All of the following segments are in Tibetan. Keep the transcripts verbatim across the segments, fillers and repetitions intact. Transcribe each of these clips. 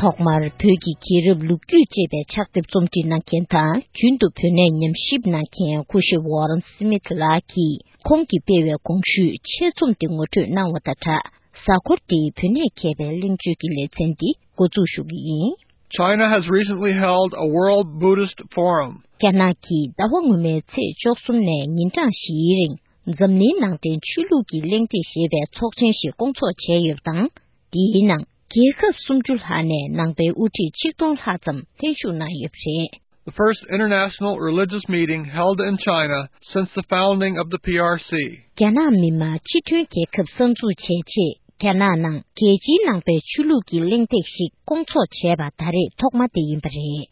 ཐོག་མར་བོད་ཀྱི་རྒྱལ་རབས་ལོ་རྒྱུས་ཅེས་པའི་ཕྱག་དེབ་རྩོམ་སྒྲིག་གནང་མཁན་དང་། རྒྱུན་དུ་བོད་གནས་ཉམས་ཞིབ་གནང་མཁན་སྐུ་ཞབས་ཝོ་རན་སི་མིད་ལགས་ཀྱིས་ཁོང་གིས་སྤེལ་བའི་གོང་ཞུས་ཆེད་རྩོམ་དེ་ངོ་སྤྲོད་གནང་བ་དང་སྦྲགས། གཟའ་འཁོར་འདིའི་བོད་གནས་མཁས་པའི་གླེང་བརྗོད་ཀྱི་ལེ་ཚན་འདི་འགོ་འཛུགས་ཞུ་གི་ཡིན། China has recently held a World Buddhist Forum. རྒྱ་ནག་གིས་ཟླ་བ་སྔོན་མའི་ཚེས་བཅུ་གསུམ་ནས་ཉིན་གྲངས་བཞིའི་རིང་འཛམ་གླིང་ནང་བསྟན་ཆོས་ལུགས་ཀྱི་གླེང་སྟེགས་ཞེས་པའི་ཚོགས་ཆེན་ཞིག་བསྐོང་ཚོགས་བྱས་ཡོད་པ་དང་། འདིའི་ནང་རྒྱལ་ཁབ་སུམ་ཅུ་ལྷག་ནས་ནང་པའི་དབུ་ཁྲིད་ཆིག་སྟོང་ལྷག་ཙམ་ལྷན་ཞུགས་གནང་ཡོད་པ་རེད། The first international religious meeting held in China since the founding of the P R C. རྒྱ་ནག་མི་དམངས་སྤྱི་མཐུན་རྒྱལ་ཁབ་གསར་འཛུགས་བྱས་རྗེས། རྒྱ་ནག་ནང་རྒྱལ་སྤྱིའི་ནང་པའི་ཆོས་ལུགས་ཀྱི་གླེང་སྟེགས་ཤིག་བསྐོང་ཚོགས་བྱས་པ་ད་རེས་ཐོག་མ་དེ་ཡིན་པ་རེད།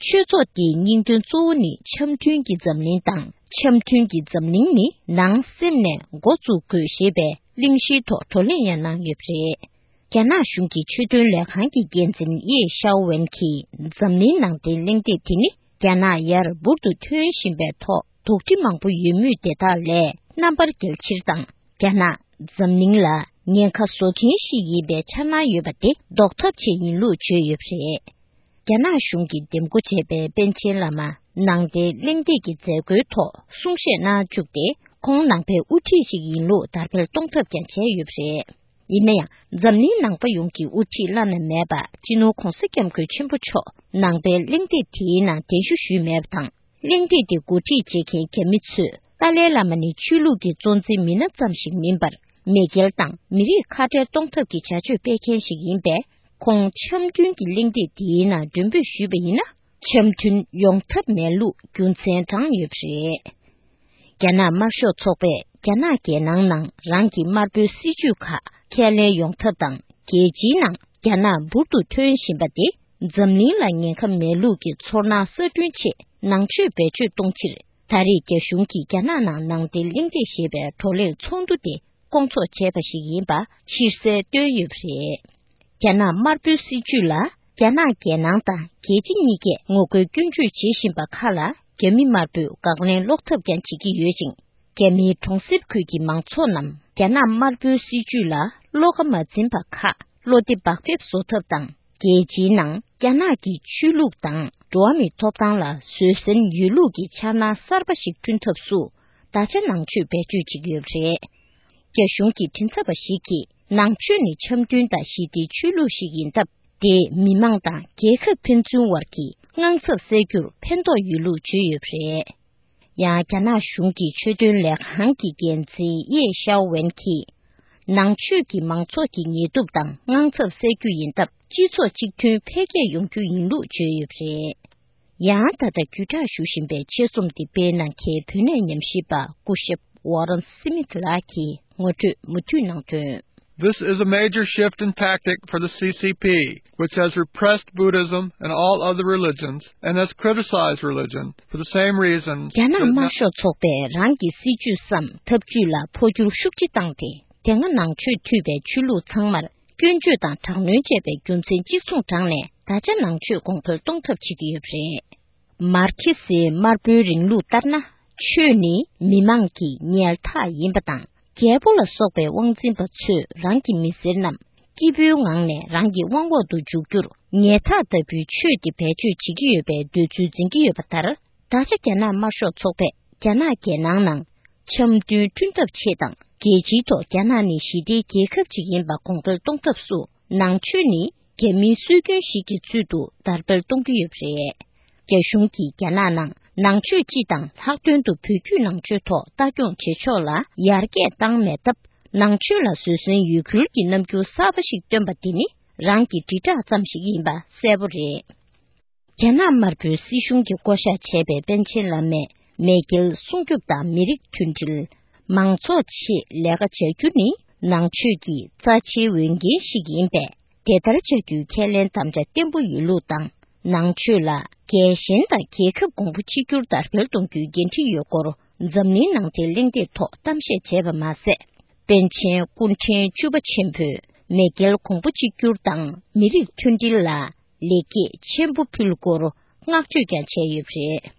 ཆོས་ཚོགས་འདིའི་སྙིང་དོན་གཙོ་བོ་ནི་འཆམ་མཐུན་གྱི་འཛམ་གླིང་དང་། འཆམ་མཐུན་གྱི་འཛམ་གླིང་ནི་ནང་སེམས་ནས་འགོ་བཙུགས་དགོས་ཞེས་པའི་གླེང་གཞིའི་ཐོག་བགྲོ་གླེང་ཡང་གནང་ཡོད་པ་རེད། རྒྱ་ནག་གཞུང་གི་ཆོས་དོན་ལས་ཁང་གི་འགན་འཛིན་ཡེ་ཤའོ་ཝན་གྱིས། འཛམ་གླིང་ནང་བསྟན་གླེང་སྟེགས་དེ་ནི་རྒྱ་ནག་ཡར་འབུར་དུ་ཐོན་བཞིན་པའི་ཐོག་དོགས་འདྲི་མང་པོ་ཡོད་མུས་དེ་དག་ལས་རྣམ་པར་རྒྱལ་ཕྱིར་དང་། རྒྱ་ནག་འཛམ་གླིང་ལ་ཉེན་ཁ་བཟོ་མཁན་ཞིག་ཡིན་པའི་འཆར་སྣང་ཡོད་པ་དེ་ཟློག་ཐབས་ཆེད་ཡིན་ལུགས་བརྗོད་ཡོད་པ་རེད། རྒྱ་ནག་གཞུང་གིས་འདེམས་བསྐོ་བྱས་པའི་པཎ་ཆེན་བླ་མ་ནང་བསྟན་གླེང་སྟེགས་ཀྱི་མཛད་སྒོའི་ཐོག་གསུང་བཤད་གནང་བཅུག་སྟེ། ཁོང་ནང་པའི་དབུ་ཁྲིད་ཞིག་ཡིན་ལུགས་དར་སྤེལ་གཏོང་ཐབས་ཀྱང་བྱས་ཡོད་པ་རེད། ཡིན་ན་ཡང་། འཛམ་གླིང་ནང་པ་ཡོངས་ཀྱི་དབུ་ཁྲིད་བླ་ན་མེད་པ་སྤྱི་ནོར་༧གོང་ས་༧སྐྱབས་མགོན་ཆེན་པོ་མཆོག་ནང་པའི་གླེང་སྟེགས་དེའི་ནང་གདན་ཞུ་ཞུས་མེད་པ་དང་། གླེང་སྟེགས་དེ་འགོ་ཁྲིད་བྱེད་མཁན་རྒྱ་མི་ཚོས་ཏཱ་ལའི་བླ་མ་ནི་ཆོས་ལུགས་ཀྱི་གཙོ་འཛིན་མི་སྣ་ཙམ་ཞིག་མིན་པར། མེས་རྒྱལ་དང་མི་རིགས་ཁ་བྲལ་གཏོང་ཐབས་ཀྱི་བྱ་སྤྱོད་སྤེལ་མཁན་ཞིག་ཡིན་པས། ཁོང་འཆམ་མཐུན་གྱི་གླེང་སྟེགས་འདིའི་ནང་མགྲོན་འབོད་ཞུས་པ་ཡིན་ན། འཆམ་མཐུན་ཡོང་ཐབས་མེད་ལུགས་རྒྱུ་མཚན་དྲངས་ཡོད་པ་རེད། རྒྱ་ནག་དམར་ཤོག་ཚོགས་པས་རྒྱ་ནག་རྒྱལ་ནང་ནང་རང་གི་དམར་པོའི་སྲིད་ཇུས་ཁག་ཁས་ལེན་ཡོང་ཐབས་དང་། རྒྱལ་སྤྱིའི་ནང་རྒྱ་ནག་འབུར་དུ་ཐོན་བཞིན་པ་དེ་འཛམ་གླིང་ལ་ཉེན་ཁ་མེད་ལུགས་ཀྱི་ཚོར་སྣང་གསར་སྐྲུན་ཆེད་ནང་ཆོས་བེད་སྤྱོད་གཏོང་ཕྱིར། ད་རེས་རྒྱ་གཞུང་གིས་རྒྱ་ནག་ནང་ནང་བསྟན་གླེང་སྟེགས་ཞེས་པའི་བགྲོ་གླེང་ཚོགས་འདུ་དེ་བསྐོང་ཚོགས་བྱས་པ་ཞིག་ཡིན་པ་ཕྱིར་གསལ་བཏོན་ཡོད་པ་རེད། རྒྱ་ནག་དམར་པོའི་སྲིད་བྱུས་ལ་རྒྱ་ནག་རྒྱལ་ནང་དང་རྒྱལ་སྤྱི་གཉིས་ཀས་ངོ་རྒོལ་སྐྱོན་བརྗོད་བྱེད་བཞིན་པ་ཁག་ལ། རྒྱ་མི་དམར་པོས་དགག་ལན་སློག་ཐབས་ཀྱང་བྱེད་ཀྱི་ཡོད་ཅིང་། རྒྱ་མིའི་གྲོང་གསེབ་ཁུལ་གྱི་མང་ཚོགས་རྣམས་རྒྱ་ནག་དམར་པོའི་སྲིད་བྱུས་ལ་བློ་ཁ་མ་འཛིན་པ་ཁག་བློ་བདེ་བག་ཕེབས་བཟོ་ཐབས་དང་། རྒྱལ་སྤྱིའི་ནང་རྒྱ་ནག་གི་ཆོས་ལུགས་དང་འགྲོ་བ་མིའི་ཐོབ་ཐང་ལ་བཟོད་བསྲན་ཡོད་ལུགས་ཀྱི་འཆར་སྣང་གསར་པ་ཞིག་བསྐྲུན་ཐབས་སུ། ད་ཆ་ནང་ཆོས་བེད་སྤྱོད་བྱེད་ཀྱི་ཡོད་པ་རེད། རྒྱ་གཞུང་གི་མགྲིན་ཚབ་པ་ཞིག་གིས། ནང་ཆོས་ནི་འཆམ་མཐུན་དང་ཞི་བདེའི་ཆོས་ལུགས་ཤིག་ཡིན་སྟབས། དེས་མི་མང་དང་རྒྱལ་ཁབ་ཕན་ཚུན་བར་གྱི་དངངས་འཚབ་སེལ་རྒྱུར་ཕན་ཐོགས་ཡོད་ལུགས་བརྗོད་ཡོད་པ་རེད། ཡང་། རྒྱ་ནག་གཞུང་གི་ཆོས་དོན་ལས་ཁང་གི་འགན་འཛིན་ཡེ་ཤའོ་ཝན་གྱིས། ནང་ཆོས་ཀྱིས་མང་ཚོགས་ཀྱི་ངལ་དུབ་དང་དངངས་འཚབ་སེལ་རྒྱུ་ཡིན་སྟབས། སྤྱི་ཚོགས་གཅིག་མཐུན་འཕེལ་རྒྱས་ཡོང་རྒྱུ་ཡིན་ལུགས་བརྗོད་ཡོད་པ་རེད། ཡང་། ད་ལྟ་བརྒྱུད་བསྒྲགས་ཞུ་བཞིན་པའི་ཆེད་རྩོམ་འདི་སྤེལ་གནང་མཁན་བོད་གནས་ཉམས་ཞིབ་པ་སྐུ་ཞབས་ཝོ་རན་སི་མིད་ལགས་ཀྱིས་ངོ་སྤྲོད་མུ་མཐུད་གནང་དོན། This is a major shift in tactic for the C C P, which has repressed Buddhism and all other religions and has criticized religion for the same reasons. རྒྱ་ནག་དམར་ཤོག་ཚོགས་པས་རང་གི་སྲིད་ཇུས་སམ་ཐབས་ཇུས་ལ་འཕོ་འགྱུར་ཤུགས་ཆེ་བཏང་སྟེ། དེ་སྔ་ནང་ཆོས་མཐུད་པའི་ཆོས་ལུགས་ཚང་མར་སྐྱོན་བརྗོད་དང་དྲག་གནོན་བྱས་པའི་རྒྱུ་མཚན་གཅིག་མཚུངས་དྲངས་ནས། ད་ཆ་ནང་ཆོས་གོང་འཕེལ་གཏོང་ཐབས་བྱེད་ཀྱི་ཡོད་པ་རེད། མར་ཁེ་སིའི་དམར་པོའི་རིང་ལུགས་ལྟར་ན། ཆོས་ནི་མི་མང་གི་ཉལ་ཐག་ཡིན་པ་དང་། རྒྱལ་པོ་ལ་སོགས་པའི་དབང་འཛིན་པ་ཚོས་རང་གི་མི་སེར་རྣམས་སྐྱིད་པོའི་ངང་ནས་རང་གི་དབང་འོག་ཏུ་འཇུག་རྒྱུར་ཉལ་ཐག་ལྟ་བུའི་ཆོས་དེ་བེད་སྤྱོད་བྱེད་ཀྱི་ཡོད་པའི་འདོད་ཚུལ་འཛིན་གྱི་ཡོད་པ་ལྟར། ད་ཆ་རྒྱ་ནག་དམར་ཤོག་ཚོགས་པས་རྒྱ་ནག་རྒྱལ་ནང་ནང་འཆམ་མཐུན་བསྐྲུན་ཐབས་ཆེད་དང་། རྒྱལ་སྤྱིའི་ཐོག་རྒྱ་ནག་ནི་ཞི་བདེའི་རྒྱལ་ཁབ་ཅིག་ཡིན་པ་གོང་འཕེལ་གཏོང་ཐབས་སུ། ནང་ཆོས་ནི་རྒྱ་མིའི་སྲོལ་རྒྱུན་ཞིག་གི་ཚུལ་དུ་དར་སྤེལ་གཏོང་གི་ཡོད་པ་རེད། རྒྱ་གཞུང་གིས་རྒྱ་ནག་ནང་ནང་ཆོས་སྤྱི་དང་ལྷག་དོན་དུ་བོད་བརྒྱུད་ནང་ཆོས་ཐོག་ལྟ་སྐྱོང་བྱེད་ཕྱོགས་ལ་ཡར་རྒྱས་བཏང་མེད་སྟབས། ནང་ཆོས་ལ་བཟོད་བསྲན་ཡོད་ཁུལ་གྱི་རྣམ་འགྱུར་གསར་པ་ཞིག་སྟོན་པ་དེ་ནི་རང་གི་དྲིལ་བསྒྲགས་ཙམ་ཞིག་ཡིན་པ་གསལ་པོ་རེད། རྒྱ་ནག་དམར་པོའི་སྲིད་གཞུང་གིས་བསྐོ་གཞག་བྱས་པའི་པཎ་ཆེན་བླ་མས་མེས་རྒྱལ་སྲུང་སྐྱོབ་དང་མི་རིགས་མཐུན་སྒྲིལ། མང་ཚོགས་ཆེད་ལས་ཀ་བྱ་རྒྱུ་ནི་ནང་ཆོས་ཀྱི་རྩ་ཆེའི་འོས་འགན་ཞིག་ཡིན་པས། དེ་ལྟར་བྱ་རྒྱུའི་ཁས་ལེན་དམ་བཅའ་བརྟན་པོ་ཡོད་ལུགས་དང་། ནང་ཆོས་ལ་རྒྱལ་ཞེན་དང་རྒྱལ་ཁབ་གོང་བུ་གཅིག་གྱུར་དར་སྤེལ་གཏོང་རྒྱུའི་འགན་འཁྲི་ཡོད་སྐོར་འཛམ་གླིང་ནང་བསྟན་གླེང་སྟེགས་ཐོག་གཏམ་བཤད་བྱས་པ་མ་ཟད། པཎ་ཆེན་སྐུ་ཕྲེང་བཅུ་པ་ཆེན་པོས་མེས་རྒྱལ་གོང་བུ་གཅིག་གྱུར་དང་མི་རིགས་མཐུན་སྒྲིལ་ལ། ལེགས་སྐྱེས་ཆེན་པོ་ཕུལ་སྐོར་བསྔགས་བརྗོད་ཀྱང་བྱས་ཡོད་པ་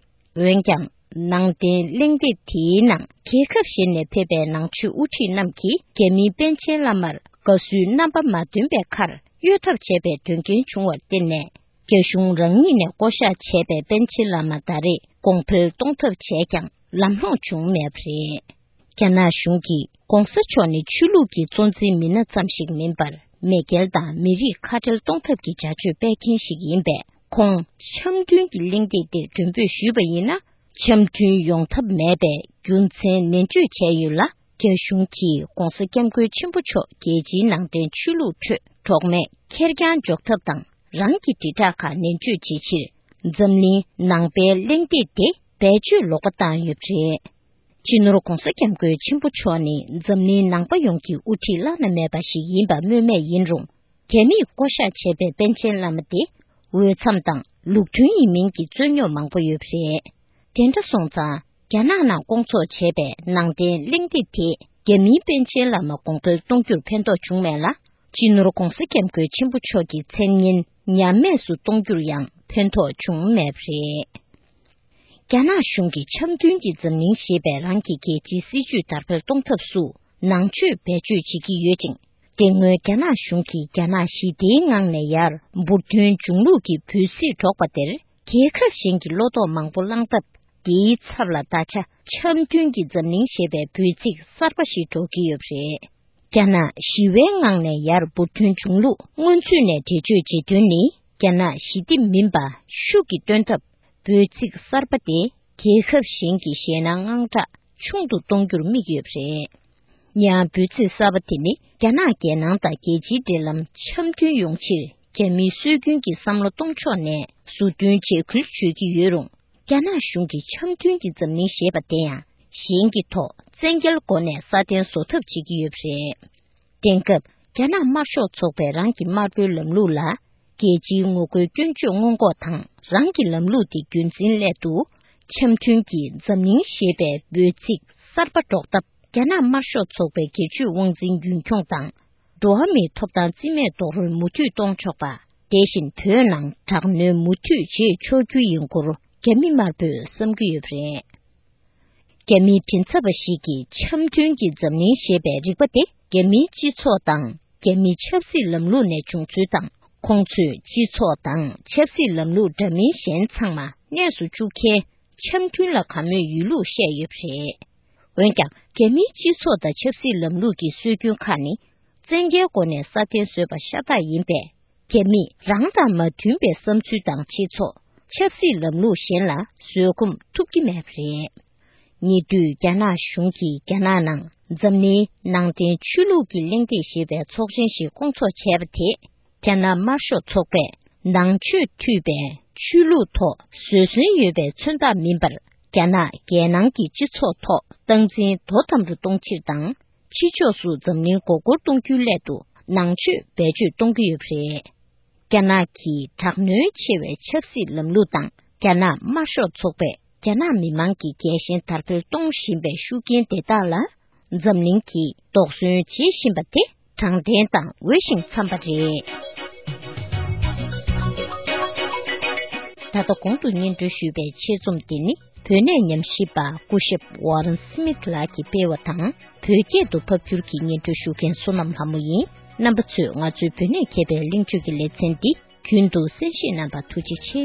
རེད། འོན་ཀྱང་། ནང་བསྟན་གླེང་སྟེགས་དེའི་ནང་རྒྱལ་ཁབ་གཞན་ནས་ཕེབས་པའི་ནང་ཆོས་དབུ་ཁྲིད་རྣམས་ཀྱིས་རྒྱ་མིའི་པཎ་ཆེན་བླ་མར་དགའ་བསུའི་རྣམ་པ་མ་སྟོན་པའི་ཁར། གཡོལ་ཐབས་བྱས་པའི་དོན་རྐྱེན་བྱུང་བར་བརྟེན་ནས། རྒྱ་གཞུང་རང་ཉིད་ནས་བསྐོ་གཞག་བྱས་པའི་པཎ་ཆེན་བླ་མ་ད་རེས་གོང་འཕེལ་གཏོང་ཐབས་བྱས་ཀྱང་ལམ་ལྷོང་བྱུང་མེད་པ་རེད། རྒྱ་ནག་གཞུང་གིས་༧གོང་ས་མཆོག་ནི་ཆོས་ལུགས་ཀྱི་གཙོ་འཛིན་མི་སྣ་ཙམ་ཞིག་མིན་པར། མེས་རྒྱལ་དང་མི་རིགས་ཁ་བྲལ་གཏོང་ཐབས་ཀྱི་བྱ་སྤྱོད་སྤེལ་མཁན་ཞིག་ཡིན་པས། ཁོང་འཆམ་མཐུན་གྱི་གླེང་སྟེགས་དེར་མགྲོན་འབོད་ཞུས་པ་ཡིན་ན། འཆམ་མཐུན་ཡོང་ཐབས་མེད་པའི་རྒྱུ་མཚན་ནན་བརྗོད་བྱས་ཡོད་ལ། རྒྱ་གཞུང་གིས་༧གོང་ས་༧སྐྱབས་མགོན་ཆེན་པོ་མཆོག་རྒྱལ་སྤྱིའི་ནང་བསྟན་ཆོས་ལུགས་ཁྲོད་གྲོགས་མེད་ཁེར་རྐྱང་འཇོག་ཐབས་དང་། རང་གི་དྲིལ་བསྒྲགས་ཁག་ནན་བརྗོད་བྱེད་ཕྱིར། འཛམ་གླིང་ནང་པའི་གླེང་སྟེགས་དེ་བེད་སྤྱོད་ལོག་པ་བཏང་ཡོད་པ་རེད། སྤྱི་ནོར་༧གོང་ས་༧སྐྱབས་མགོན་ཆེན་པོ་མཆོག་ནི་འཛམ་གླིང་ནང་པ་ཡོངས་ཀྱི་དབུ་ཁྲིད་བླ་ན་མེད་པ་ཞིག་ཡིན་པ་སྨོས་མེད་ཡིན་རུང་། རྒྱ་མིས་བསྐོ་གཞག་བྱས་པའི་པཎ་ཆེན་བླ་མ་དེ། འོས་འཚམ་དང་ལུགས་མཐུན་ཡིན་མིན་གྱི་རྩོད་རྙོག་མང་པོ་ཡོད་པ་རེད། དེ་འདྲ་སོང་ཙང་། རྒྱ་ནག་ནང་བསྐོང་ཚོགས་བྱས་པའི་ནང་བསྟན་གླེང་སྟེགས་དེས། རྒྱ་མིའི་པཎ་ཆེན་བླ་མ་གོང་འཕེལ་གཏོང་རྒྱུར་ཕན་ཐོགས་བྱུང་མེད་ལ། སྤྱི་ནོར་༧གོང་ས་༧སྐྱབས་མགོན་ཆེན་པོ་མཆོག་གི་མཚན་སྙན་ཉམས་དམས་སུ་གཏོང་རྒྱུར་ཡང་ཕན་ཐོགས་བྱུང་མེད་པ་རེད། རྒྱ་ནག་གཞུང་གིས་འཆམ་མཐུན་གྱི་འཛམ་གླིང་ཞེས་པའི་རང་གི་རྒྱལ་སྤྱིའི་སྲིད་བྱུས་དར་སྤེལ་གཏོང་ཐབས་སུ་ནང་ཆོས་བེད་སྤྱོད་བྱེད་ཀྱི་ཡོད་ཅིང་། དེ་སྔོན་རྒྱ་ནག་གཞུང་གིས་རྒྱ་ནག་ཞི་བདེའི་ངང་ནས་ཡར་འབུར་ཐོན་འབྱུང་ལུགས་ཀྱི་འབོད་ཚིག་སྒྲོག་པ་དེར། རྒྱལ་ཁབ་གཞན་གྱི་བློ་དོགས་མང་པོ་བསླངས་སྟབས། དེའི་ཚབ་ལ་ད་ཆ་འཆམ་མཐུན་གྱི་འཛམ་གླིང་ཞེས་པའི་འབོད་ཚིག་གསར་པ་ཞིག་སྒྲོག་གི་ཡོད་པ་རེད། རྒྱ་ནག་ཞི་བའི་ངང་ནས་ཡར་འབུར་ཐོན་འབྱུང་ལུགས་སྔོན་ཚུད་ནས་འགྲེལ་བརྗོད་བྱེད་དོན་ནི། རྒྱ་ནག་ཞི་བདེ་མིན་པ་ཤུགས་ཀྱིས་སྟོན་ཐབས། འབོད་ཚིག་གསར་པ་དེ་རྒྱལ་ཁབ་གཞན་གྱི་ཞེད་སྣང་དངངས་སྐྲག་ཆུང་དུ་གཏོང་རྒྱུར་དམིགས་ཡོད་པ་རེད། ཡང་འབོད་ཚིག་གསར་པ་དེ་ནི། རྒྱ་ནག་རྒྱལ་ནང་དང་རྒྱལ་སྤྱིའི་འབྲེལ་ལམ་འཆམ་མཐུན་ཡོང་ཕྱིར། རྒྱ་མིའི་སྲོལ་རྒྱུན་གྱི་བསམ་བློ་གཏོང་ཕྱོགས་ནས་བཟོ་སྐྲུན་བྱེད་ཁུལ་བྱེད་ཀྱི་ཡོད་རུང་། རྒྱ་ནག་གཞུང་གིས་འཆམ་མཐུན་གྱི་འཛམ་གླིང་ཞེས་པ་དེ་ཡང་། གཞན་གྱི་ཐོག་བཙན་རྒྱལ་སྒོ་ནས་སྲ་བརྟན་བཟོ་ཐབས་བྱེད་ཀྱི་ཡོད་པ་རེད། དེང་སྐབས། རྒྱ་ནག་དམར་ཤོག་ཚོགས་པས་རང་གི་དམར་པོའི་ལམ་ལུགས་ལ། རྒྱལ་སྤྱིའི་ངོ་རྒོལ་སྐྱོན་བརྗོད་སྔོན་འགོག་དང་། རང་གི་ལམ་ལུགས་དེ་རྒྱུན་འཛིན་སླད་དུ། འཆམ་མཐུན་གྱི་འཛམ་གླིང་ཞེས་པའི་འབོད་ཚིག་གསར་པ་སྒྲོག་སྟབས། རྒྱ་ནག་དམར་ཤོག་ཚོགས་པའི་སྒེར་གཅོད་དབང་འཛིན་རྒྱུན་འཁྱོངས་དང་། འགྲོ་བ་མིའི་ཐོབ་ཐང་རྩིས་མེད་རྡོག་རོལ་མུ་མཐུད་གཏོང་ཆོག་པ། དེ་བཞིན་བོད་ནང་དྲག་གནོན་མུ་མཐུད་བྱེད་ཆོག་རྒྱུ་ཡིན་སྐོར་རྒྱ་མི་དམར་པོས་བསམ་གྱི་ཡོད་པ་རེད། རྒྱ་མིའི་མགྲིན་ཚབ་པ་ཞིག་གིས་འཆམ་མཐུན་གྱི་འཛམ་གླིང་ཞེས་པའི་རིག་པ་དེ་རྒྱ་མིའི་སྤྱི་ཚོགས་དང་རྒྱ་མིའི་ཆབ་སྲིད་ལམ་ལུགས་ནས་བྱུང་ཚུལ་དང་། ཁོང་ཚོས་སྤྱི་ཚོགས་དང་ཆབ་སྲིད་ལམ་ལུགས་འདྲ་མིན་གཞན་ཚང་མ་གནས་སུ་བཅུག་མཁན་འཆམ་མཐུན་ལ་དགའ་མོས་ཡོད་ལུགས་བཤད་ཡོད་པ་རེད། འོན་ཀྱང་། རྒྱ་མིའི་སྤྱི་ཚོགས་དང་ཆབ་སྲིད་ལམ་ལུགས་ཀྱི་སྲོལ་རྒྱུན་ཁག་ནི། བཙན་རྒྱལ་སྒོ་ནས་སྲ་བརྟན་བཟོས་པ་ཤ་སྟག་ཡིན་པས། རྒྱ་མིས་རང་དང་མ་མཐུན་པའི་བསམ་ཚུལ་དང་སྤྱི་ཚོགས། ཆབ་སྲིད་ལམ་ལུགས་གཞན་ལ་བཟོད་སྒོམ་ཐུབ་ཀྱི་མེད་པ་རེད། ཉེ་དུས་རྒྱ་ནག་གཞུང་གིས་རྒྱ་ནག་ནང་འཛམ་གླིང་ནང་བསྟན་ཆོས་ལུགས་ཀྱི་གླེང་སྟེགས་ཞེས་པའི་ཚོགས་ཆེན་ཞིག་བསྐོང་ཚོགས་བྱས་པ་དེས། རྒྱ་ནག་དམར་ཤོག་ཚོགས་པས་ནང་ཆོས་མཐུད་པའི་ཆོས་ལུགས་ཐོག་བཟོད་བསྲན་ཡོད་པའི་མཚོན་རྟགས་མིན་པར། རྒྱ་ནག་རྒྱལ་ནང་གི་སྤྱི་ཚོགས་ཐོག་སྟངས་འཛིན་དོ་དམ་དུ་གཏོང་ཕྱིར་དང་། ཕྱི་ཕྱོགས་སུ་འཛམ་གླིང་མགོ་སྐོར་གཏོང་རྒྱུའི་སླད་དུ་ནང་ཆོས་བེད་སྤྱོད་གཏོང་གི་ཡོད་པ་རེད། རྒྱ་ནག་གི་དྲག་གནོན་ཆེ་བའི་ཆབ་སྲིད་ལམ་ལུགས་དང་། རྒྱ་ནག་དམར་ཤོག་ཚོགས་པས་རྒྱ་ནག་མི་མང་གི་རྒྱལ་ཞེན་དར་སྤེལ་གཏོང་བཞིན་པའི་ཤུགས་རྐྱེན་དེ་དག་ལ། འཛམ་གླིང་གིས་དོགས་ཟོན་བྱེད་བཞིན་པ་དེ་དྲང་བདེན་དང་འོས་ཤིང་འཚམས་པ་རེད། ད་ལྟ་གོང་དུ་སྙན་སྒྲོན་ཞུས་པའི་ཆེད་རྩོམ་འདི་ནི། བོད་གནས་ཉམས་ཞིབ་པ་སྐུ་ཞབས་ཝ་རན་སི་མིད་ལགས་ཀྱིས་སྤེལ་བ་དང་། བོད་སྐད་དུ་ཕབ་བསྒྱུར་གྱིས་སྙན་སྒྲོན་ཞུ་མཁན་བསོད་ནམས་ལྷ་མོ་ཡིན། རྣམ་པ་ཚོས་ང་ཚོའི་བོད་གནས་མཁས་པའི་གླེང་བརྗོད་ཀྱི་ལེ་ཚན་འདི་རྒྱུན་དུ་གསན་བཞེས་གནང་བར་ཐུགས་རྗེ་ཆེ།